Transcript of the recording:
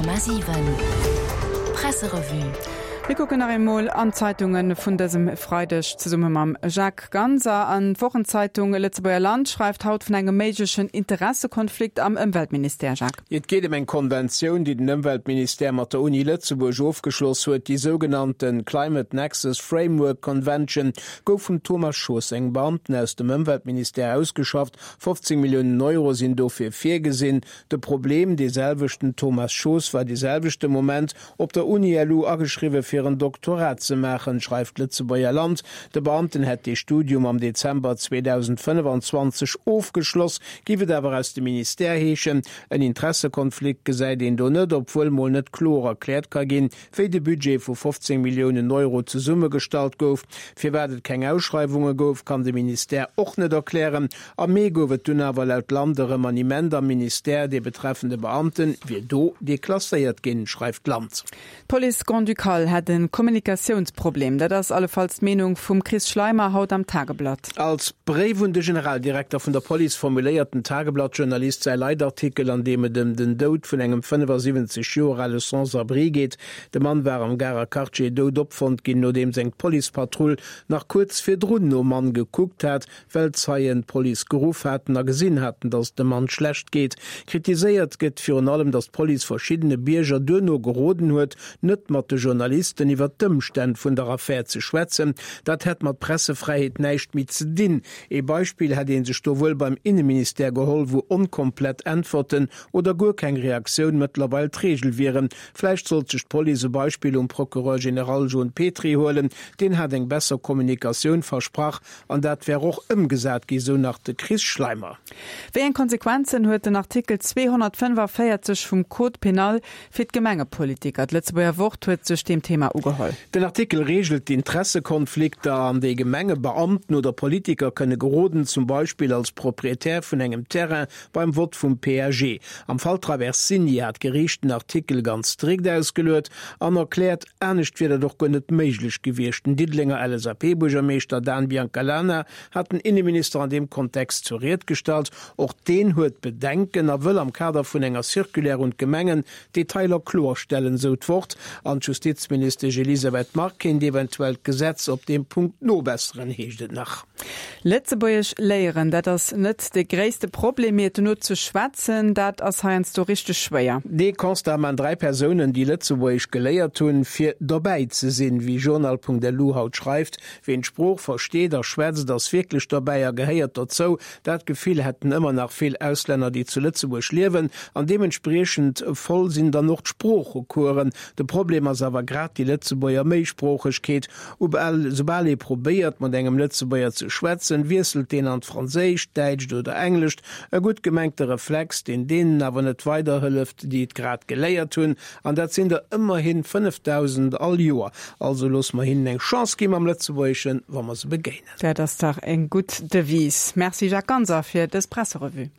100,7 Presserevue. Mir kucken nach eemol an d'Zeitunge vun dësem Freideg zesumme mam Jacques Ganser. An d'Wochenzeitung Lëtzebuerger Land schreift haut vun engem méiglechen Interessekonflikt am Ëmweltministère. Jacques. Et geet ëm eng Konventioun, déi den Ëmweltministère mat der Uni Lëtzebuerg ofgeschloss huet. Déi sougenannte Climate Nexus Framework Convention gouf vum Thomas Schoos, engem Beamten aus dem Ëmweltministère, ausgeschafft. 15 Milliounen Euro sinn dofir virgesinn. De Problem, Dee selwechten Thomas Schoos war dee selwechte Moment op der Uni-LU ageschriwwe fir en Doktorat ze maachen, schreift d'Lëtzebuerger Land. De Beamten hätt dee Studium am Dezember 2025 ofgeschloss, géif et awer aus dem Ministère heeschen. En Interessekonflikt gesäit een do net, obwuel mol net kloer erkläert ka ginn, wéi de Budget vu 15 Milliounen Euro zesummegestallt gouf. Firwat et keng Ausschreiwunge gouf, kann de Ministère och net erklären. Am Mee gouf et dunn awer laut Land e Remaniement am Ministère, dee betreffende Beamte wier do deklasséiert ginn, schreift d'Land. D'Police Grand-Ducale hätt e Kommunikatiounsproblem. Dat ass allefalls d'Meenung vum Chris Schleimer haut am Tageblatt. Als Bréif un de Generaldirekter vun der Police formuléiert den Tageblatt-Journalist säi Leitartikel, an deem et ëm den Doud vun engem 75 Joer ale Sans-abri geet. De Mann war am Garer Quartier dout opfonnt ginn, nodeems eng Policepatrull nach kuerz virdrun nom Mann gekuckt hat, well Zeien d'Police geruff haten a gesinn haten, datt et dem Mann schlecht geet. Kritiséiert gëtt virun allem, datt d'Police verschiddene Bierger duerno geroden huet, net mat de Journalisten iwwer d'Ëmstänn vun der Affär ze schwätzen. Dat hätt mat Pressefräiheet näischt méi ze dinn. Ee Beispill hätt ee sech do wuel beim Inneministère geholl, wou onkomplett Äntwerten oder guer keng Reaktioun mëttlerweil d'Reegel wieren. Vläicht sollt sech d'Police e Beispill um Procureur général John Petry huelen, deen hat eng besser Kommunikatioun versprach An dat wär och ëmgesat gi, sou nach de Chris Schleimer. Wéi eng Konsequenzen huet den Artikel 245 vum Code pénal fir d'Gemengepolitiker? D'Lëtzebuerger Wort huet sech deem Thema ugeholl. Den Artikel reegelt d'Intressekonflikter, an déi Gemengebeamten oder Politiker kënne geroden, zum Beispill als Proprietär vun engem Terrain beim Vott vum PAG. Am Fall Traversini hat d'Geriicht den Artikel ganz strikt ausgeluet an erkläert, anescht wier dat och guer net méiglech gewiescht. Den Diddelenger LSAP-Buergermeeschter Dan Biancalana hat den Inneminister an deem Kontext zur Ried gestallt. Och deen huet Bedenken a wëll am Kader vun enger Circulaire un d'Gemengen d'Detailer kloerstellen, sou d'Wort. An d'Justizministesch Elisabeth Margue kéint eventuell d'Gesetz op deem Punkt nobesseren, heescht et nach. Lëtzebuergesch léieren, dat ass net de gréisste Problem, mee et dono ze schwätzen, dat ass heiansdo richteg schwéier. Dee Constat man 3 Persounen, déi Lëtzebuergesch geléiert hunn, fir dobäi ze sinn. Wéi Journal.lu haut schreift, Ween d'Sprooch versteet a schwätzt, ass wierklech dobäi a gehéiert dozou. Dat Gefill hätten ëmmer nach vill Auslänner, déi zu Lëtzebuerg liewen, an deementspriechend voll sinn dann och d'Sproochecoursen. De Problem ass awer grad déi Lëtzebuerger Méisproochegkeet. Soubal ee probéiert, mat engem Lëtzebuerger ze schwätzen, wiesselt deen an d'Franséischt, d'Däitscht oder Englescht. E gutt gemengte Reflex, deen deenen awer net weiderhëlleft, déi et grad geléiert hunn. An dat sinn der ëmmerhin 5.000 all Joer. Also loosse mer hinnen eng Chance gi mam Lëtzebuergeschen, wa mer se begéinen. Dat ass dach eng gutt Devise. Merci Jacques Ganser fir dës Presserevue.